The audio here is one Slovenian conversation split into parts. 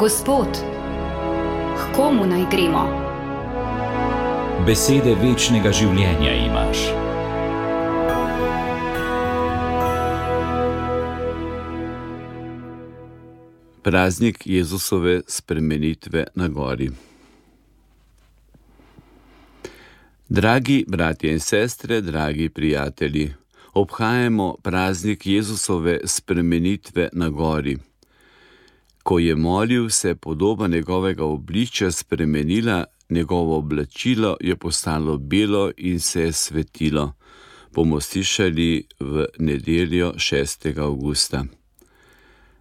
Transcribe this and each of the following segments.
Gospod, k komu naj gremo? Besede večnega življenja imaš. Praznik Jezusove spremenitve na gori. Dragi bratje in sestre, dragi prijatelji, obhajamo praznik Jezusove spremenitve na gori. Ko je molil, se je podoba njegovega obličja spremenila, njegovo oblačilo je postalo belo in se je svetilo. Bomo slišali v nedeljo 6. avgusta.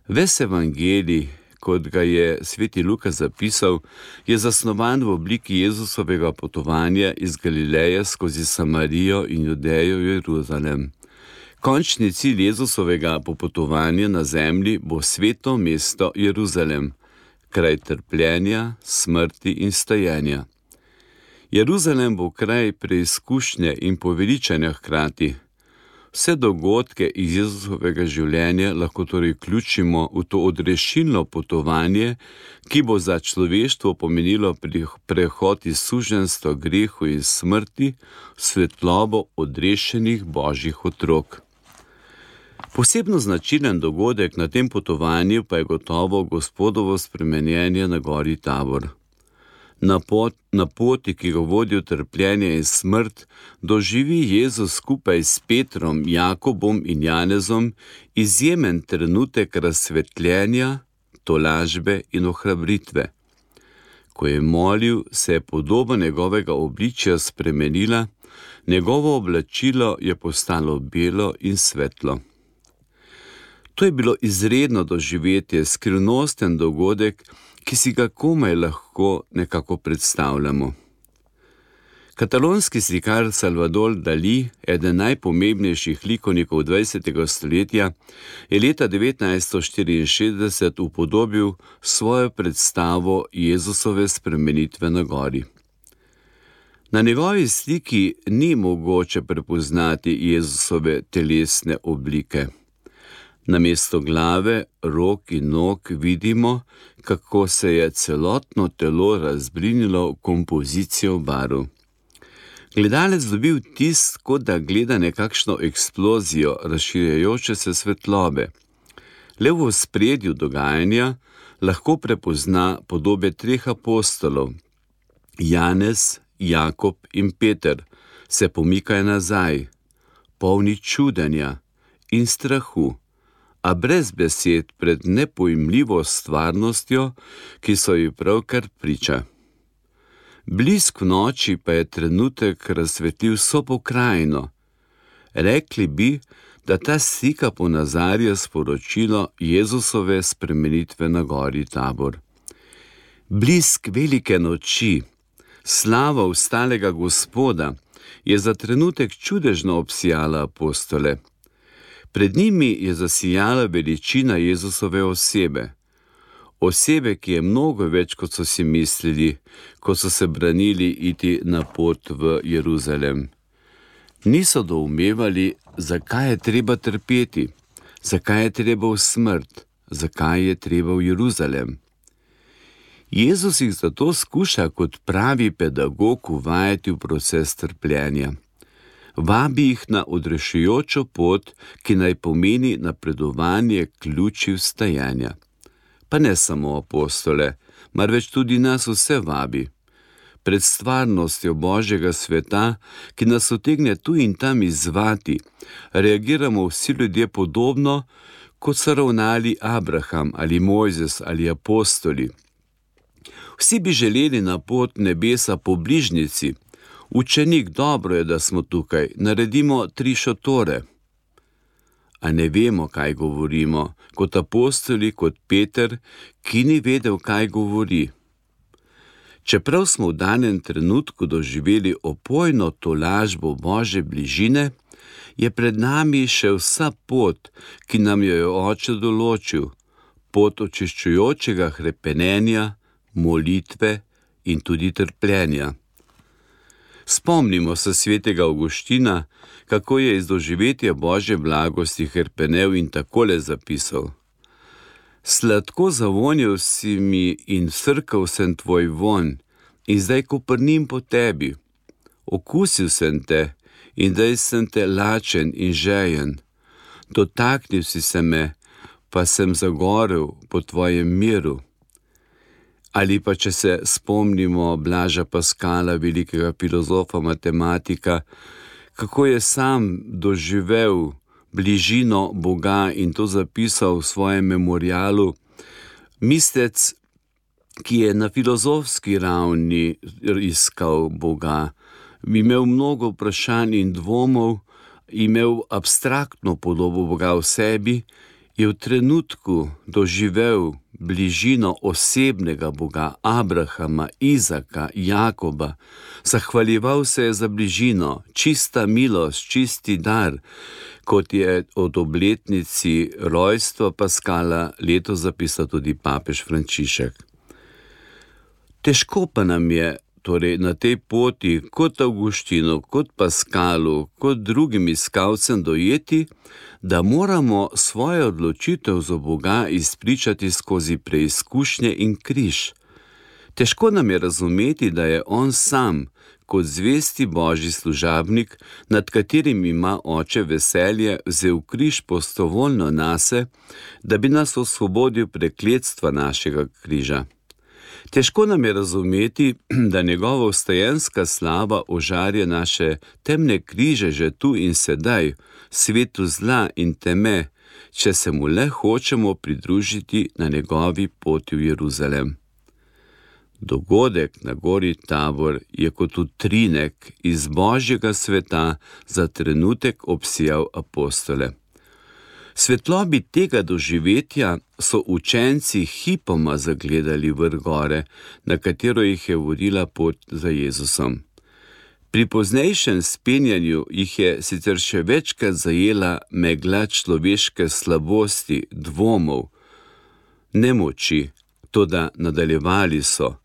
Ves evangelij, kot ga je sveti Luka zapisal, je zasnovan v obliki Jezusovega potovanja iz Galileje skozi Samarijo in Judejo v Jeruzalem. Končni cilj Jezusovega popotovanja na zemlji bo sveto mesto Jeruzalem, kraj trpljenja, smrti in stajenja. Jeruzalem bo kraj preizkušnje in poveličanja hkrati. Vse dogodke iz Jezusovega življenja lahko torej vključimo v to odrešilno potovanje, ki bo za človeštvo pomenilo prehod iz suženjstva, grehu in smrti v svetlobo odrešenih Božjih otrok. Posebno značilen dogodek na tem potovanju pa je gotovo Gospodovo spremenjenje na gori Tabor. Na poti, ki ga vodi v trpljenje in smrt, doživi Jezus skupaj s Petrom, Jakobom in Janezom izjemen trenutek razsvetljenja, tolažbe in ohrabritve. Ko je molil, se je podoba njegovega obličja spremenila, njegovo oblačilo je postalo belo in svetlo. To je bilo izredno doživetje, skrivnosten dogodek, ki si ga komaj lahko nekako predstavljamo. Katalonski slikar Salvador Dalí, eden najpomembnejših likovnikov 20. stoletja, je leta 1964 upodobil svojo predstavo Jezusove spremenitve na gori. Na njegovi sliki ni mogoče prepoznati Jezusove telesne oblike. Namesto glave, rok in nog vidimo, kako se je celotno telo razblinilo v kompozicijo barv. Gledalec dobi vtis, kot da gleda nekakšno eksplozijo razširjajoče se svetlobe. Le v ospredju dogajanja lahko prepozna podobe treh apostolov. Janez, Jakob in Peter se pomikajo nazaj, polni čudenja in strahu, a brez besed pred nepojmljivo stvarnostjo, ki so ji pravkar priča. Blisk v noči pa je trenutek razsvetlil vso pokrajino. Rekli bi, da ta slika ponazarja sporočilo Jezusove spremenitve na gori Tabor. Blisk velike noči, slava vstalega Gospoda, je za trenutek čudežno obsijala apostole. Pred njimi je zasijala veličina Jezusove osebe. Osebe, ki je mnogo več, kot so si mislili, ko so se branili iti na pot v Jeruzalem. Niso doumevali, zakaj je treba trpeti, zakaj je treba v smrt, zakaj je treba v Jeruzalem. Jezus jih zato skuša kot pravi pedagog uvajati v proces trpljenja. Vabi jih na odrešujočo pot, ki naj pomeni napredovanje ključi vstajanja. Pa ne samo apostole, marveč tudi nas vse vabi. Pred stvarnostjo Božjega sveta, ki nas utegne tu in tam izzvati, reagiramo vsi ljudje podobno, kot so ravnali Abraham ali Mojzes ali apostoli. Vsi bi želeli na pot nebesa po bližnjici. Učenik, dobro je, da smo tukaj, naredimo 3 šotore. A ne vemo, kaj govorimo, kot apostoli, kot Peter, ki ni vedel, kaj govori. Čeprav smo v danem trenutku doživeli opojno tolažbo Božje bližine, je pred nami še vsa pot, ki nam jo je Oče določil, pot očiščujočega hrepenenja, molitve in tudi trpljenja. Spomnimo se svetega Avguština, kako je iz doživetja Božje blagosti hrepenel in takole zapisal: Sladko zavonil si mi in srkal sem tvoj vonj, in zdaj koprnim po tebi. Okusil sem te in zdaj sem te lačen in žejen. Dotaknil si se me, pa sem zagorel po tvojem miru. Ali pa če se spomnimo Blaža Paskala, velikega filozofa, matematika, kako je sam doživel bližino Boga in to zapisal v svojem memorialu. Mislec, ki je na filozofski ravni iskal Boga, imel mnogo vprašanj in dvomov, imel abstraktno podobo Boga v sebi, je v trenutku doživel bližino osebnega Boga, Abrahama, Izaka, Jakoba. Zahvaljeval se je za bližino, čista milost, čisti dar, kot je od obletnici rojstva Paskala letos zapisal tudi papež Frančišek. Težko pa nam je torej na tej poti, kot Avguštinu, kot Paskalu, kot drugim iskalcem dojeti, da moramo svojo odločitev za Boga izpričati skozi preizkušnje in križ. Težko nam je razumeti, da je on sam, kot zvesti božji služabnik, nad katerim ima oče veselje, vzel križ prostovoljno nase, da bi nas osvobodil prekletstva našega križa. Težko nam je razumeti, da njegova vstajenska slava ožarja naše temne križe že tu in sedaj, svetu zla in teme, če se mu le hočemo pridružiti na njegovi poti v Jeruzalem. Dogodek na gori Tabor je kot utrinek iz božjega sveta za trenutek obsijal apostole. Svetlobi tega doživetja so učenci hipoma zagledali vrh gore, na katero jih je vodila pot za Jezusom. Pri poznejšem spenjanju jih je sicer še večkrat zajela megla človeške slabosti, dvomov, nemoči, toda nadaljevali so,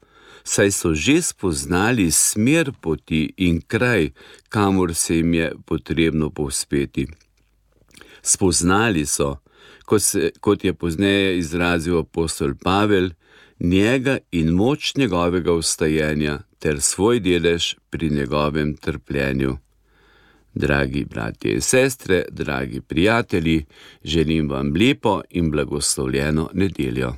saj so že spoznali smer poti in kraj, kamor se jim je potrebno povzpeti. Spoznali so, kot je pozneje izrazil apostol Pavel, njega in moč njegovega vstajenja ter svoj delež pri njegovem trpljenju. Dragi bratje in sestre, dragi prijatelji, želim vam lepo in blagoslovljeno nedeljo.